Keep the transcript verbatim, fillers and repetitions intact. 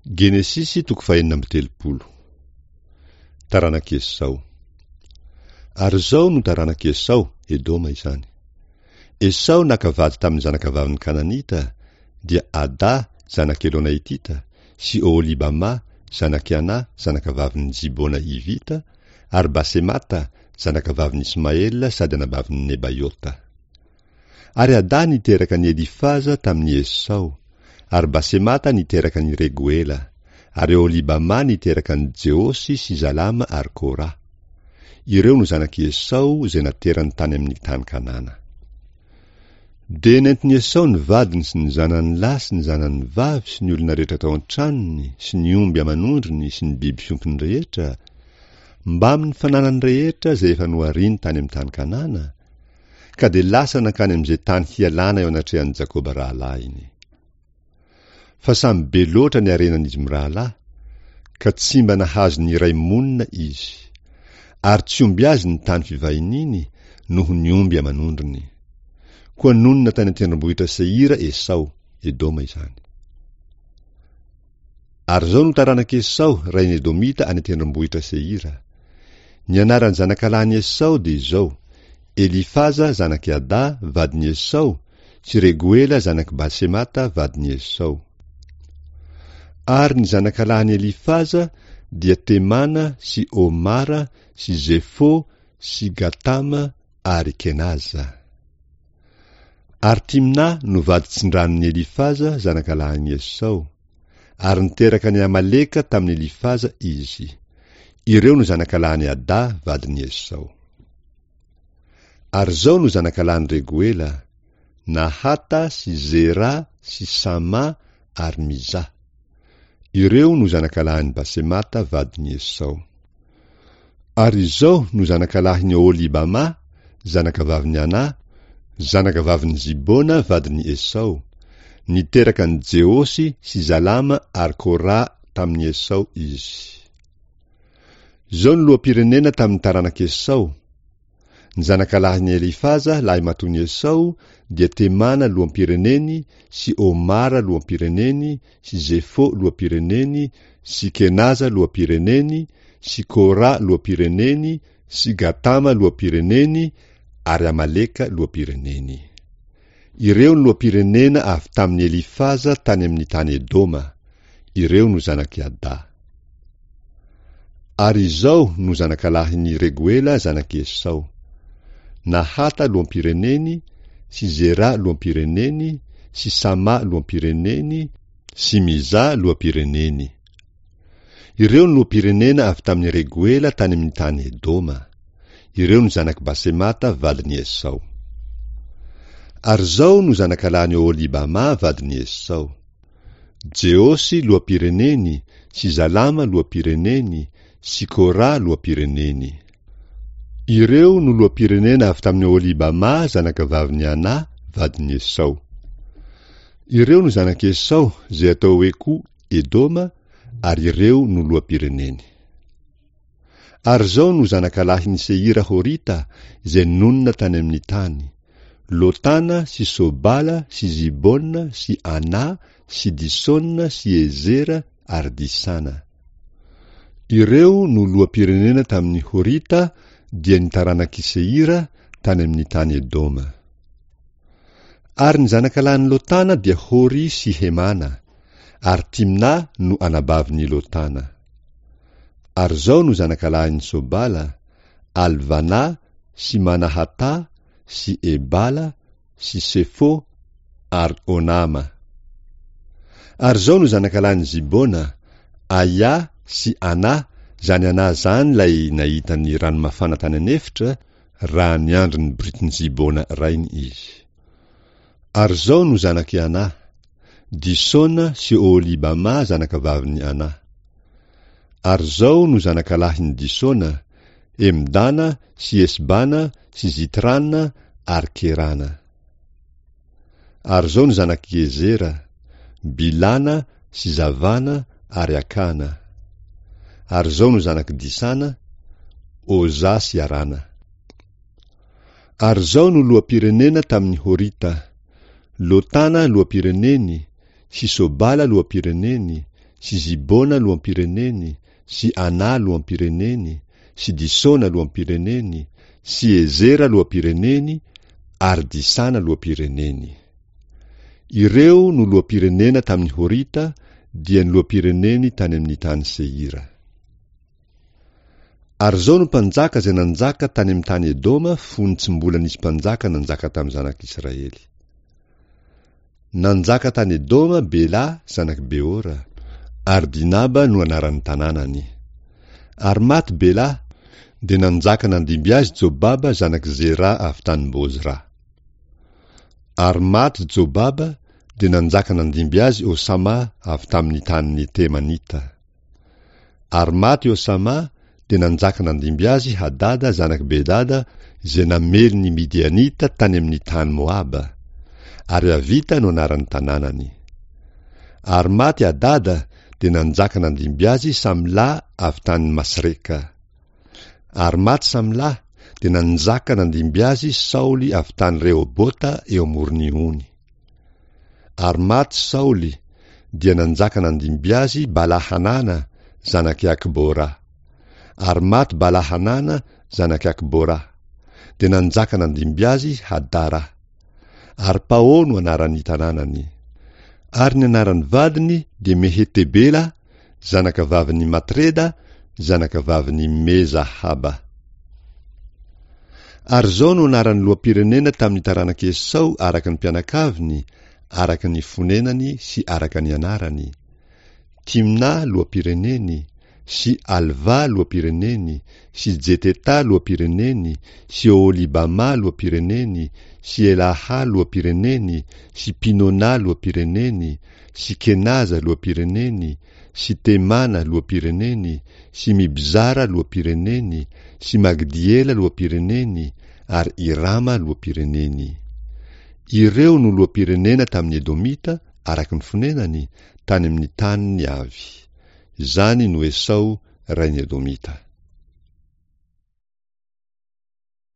Genesisy toko fahenina amby telopolo. Taranak'i Esao. Ary izao no taranak'i Esao, Edoma izany. Esao naka vady tamin'ny zanakavavin'ny Kananita, dia Ada zanak'i Elona Hitita sy Oholibama zanak'i Ana zanakavavin'i Zibona Hivita ary Basemata zanakavavin'i Ismaela sady anabavin'i Nebaiota. Ary Ada niteraka an'i Elifaza tamin'i Esao, ary Basemata niteraka an'i Regoela, ary Oholibama niteraka an'i Jeosy sy Zalama ary Kora. Ireo no zanak'i Esao izay naterany tany amin'ny tany Kanana. Dia nentin'i Esao ny vadiny sy ny zanany lahy sy ny zanany vavy sy ny olona rehetra tao an-tranony sy ny omby aman'ondriny sy ny biby fiompiny rehetra, mbamin'ny fananany rehetra izay efa nohariny tany amin'ny tany Kanana, ka dia lasa nankany amin'izay tany hialana eo anatrehan'i Jakoba rahalahiny. Fa samy be loatra ny harenan'izy mirahalahy, ka tsy mba nahazo ny iray monina izy, ary tsy omby azy ny tany fivahiniany noho ny omby aman'ondriny. Koa nonina tany an-tendrombohitra Seira Esao, Edoma izany. Ary izao no taranak'i Esao, rain'i Edomita any an-tendrombohitra Seira. Ny anaran'ny zanakalahin'i Esao dia izao: Elifaza zanak'i Ada vadin'i Esao sy Regoela zanak'i Basemata vadin'i Esao. Ary ny zanakalahin'i Elifaza dia Temana sy Omara sy Zefo sy Gatama ary Kenaza. Ary Timna no vady tsindranon'i Elifaza zanakalahin'i Esao, ary niteraka an'i Amaleka tamin'i Elifaza izy. Ireo no zanakalahin'i Ada vadin'i Esao. Ary izao no zanakalahin'i Regoela: Nahata sy Zera sy Sama ary Miza. Ireo no zanakalahin'i Basemata vadin'i Esao. Ary izao no zanakalahin'i Oholibama, zanakavavin'i Ana, zanakavavin'i Zibona vadin'i Esao. Niteraka an'i Jeosy sy Zalama ary Kora tamin'i Esao izy. Izao no loham-pirenena tamin'ny taranak'i Esao. Ny zanakalahin'i Elifaza lahimatoan'i Esao dia Temana loham-pireneny sy Omara loham-pireneny sy Zefo loham-pireneny sy Kenaza loham-pireneny sy Kora loham-pireneny sy Gatama loham-pireneny ary Amaleka loham-pireneny. Ireo no loham-pirenena avy tamin'i Elifaza tany amin'ny tany Edoma. Ireo no zanak'i Ada. Ary izao no zanakalahin'i Regoela zanak'i Esao: Nahata loham-pireneny sy Zera loham-pireneny sy Sama loham-pireneny sy Miza loham-pireneny. Ireo no loham-pirenena avy tamin'i Regoela tany amin'ny tany Edoma. Ireo no zanak'i Basemata vadin'i Esao. Ary izao no zanakalahin'i Oholibama vadin'i Esao: Jeosy loham-pireneny sy Zalama loham-pireneny sy Kora loham-pireneny. Ireo no loham-pirenena avy tamin'i Oholibama zanakavavin'i Ana vadin'i Esao. Ireo no zanak'i Esao izay atao hoe koa Edoma, ary ireo no loham-pireneny. Ary izao no zanakalahin'i Seira Horita izay nonina tany amin'ny tany: Lotana sy Sobala sy Zibona sy Ana sy Disona sy Ezera ary Disana. Ireo no loham-pirenena tamin'ny Horita, dia ny taranak'i Seira tany amin'ny tany Edoma. Ary ny zanakalahin'i Lotana dia Hori sy Hemana, ary Timna no anabavin'i Lotana. Ary izao no zanakalahin'i Sobala: Alvana sy Manahata sy Ebala sy Sefo ary Onama. Ary izao no zanakalahin'i Zibona: Aia sy Ana, izany Ana izany ilay nahita ny ranomafana tany an'efitra raha niandry ny borikin'i Zibona rainy izy. Ary izao no zanak'i Ana: Disona sy Oholibama zanakavavin'i Ana. Ary izao no zanakalahin'i Disona: Emdana sy Esbana sy Zitrana ary Kerana. Ary izao no zanak'i Ezera: Bilana sy Zavana ary Akana. Ary izao no zanak'i Disana: Oza sy Arana. Ary izao no loham-pirenena tamin'ny Horita: Lotana loham-pireneny sy Sobala loham-pireneny sy Zibona loham-pireneny, sy Ana loham-pireneny, sy Disona loham-pireneny, sy Ezera loham-pireneny, ary Disana loham-pireneny. Ireo no loham-pirenena tamin'ny Horita, dia ny loham-pireneny tany amin'ny tany Seira. Ary izao no mpanjaka izay nanjaka tany amin'ny tany Edoma fony tsy mbola nisy mpanjaka nanjaka tamin'ny zanak'Israely. Nanjaka tany Edoma Bela zanak'i Beora, ary Dinaba no anaran'ny tanànany. Ary maty Bela, dia nanjaka nandimby azy Jobaba zanak'i Zera avy tany Bozra. Ary maty Jobaba, dia nanjaka nandimby azy Osama avy tamin'ny tanin'ny Temanita. Ary maty Osama, dia nanjaka nandimby azy Hadada zanak'i Bedada izay namely ny Midianita tany amin'ny tany Moaba, ary Avita no anaran'ny tanànany. Ary maty Hadada, dia nanjaka nandimby azy Samla avy tany Masreka. Ary maty Samla, dia nanjaka nandimby azy Saoly avy tany Rehobota eo amoron'ny ony. Ary maty Saoly, dia nanjaka nandimby azy Bala-Hanana zanak'i Akbora. Ary maty Bala-Hanana zanak'i Akbora, dia nanjaka nandimby azy Hadara. Ary Pao no anaran'ny tanànany. Ary ny anaran'ny vadiny dia Mehetebela, zanakavavin'i Matreda, zanakavavin'i Mezahaba. Ary izao no anaran'ny loham-pirenena tamin'ny taranak'i Esao araka ny mpianakaviny, araka ny fonenany sy araka ny anarany: Timna loham-pireneny, sy Alva loham-pireneny, sy Jeteta loham-pireneny, sy Oholibama loham-pireneny, sy Elaha loham-pireneny, sy Pinona loham-pireneny, sy Kenaza loham-pireneny, sy Temana loham-pireneny, sy Mibzara loham-pireneny, sy Magdiela loham-pireneny, ary Irama loham-pireneny. Ireo no loham-pirenena tamin'ny Edomita araka ny fonenany, tany amin'ny taniny avy. Izany no Esao rain'ny Edomita.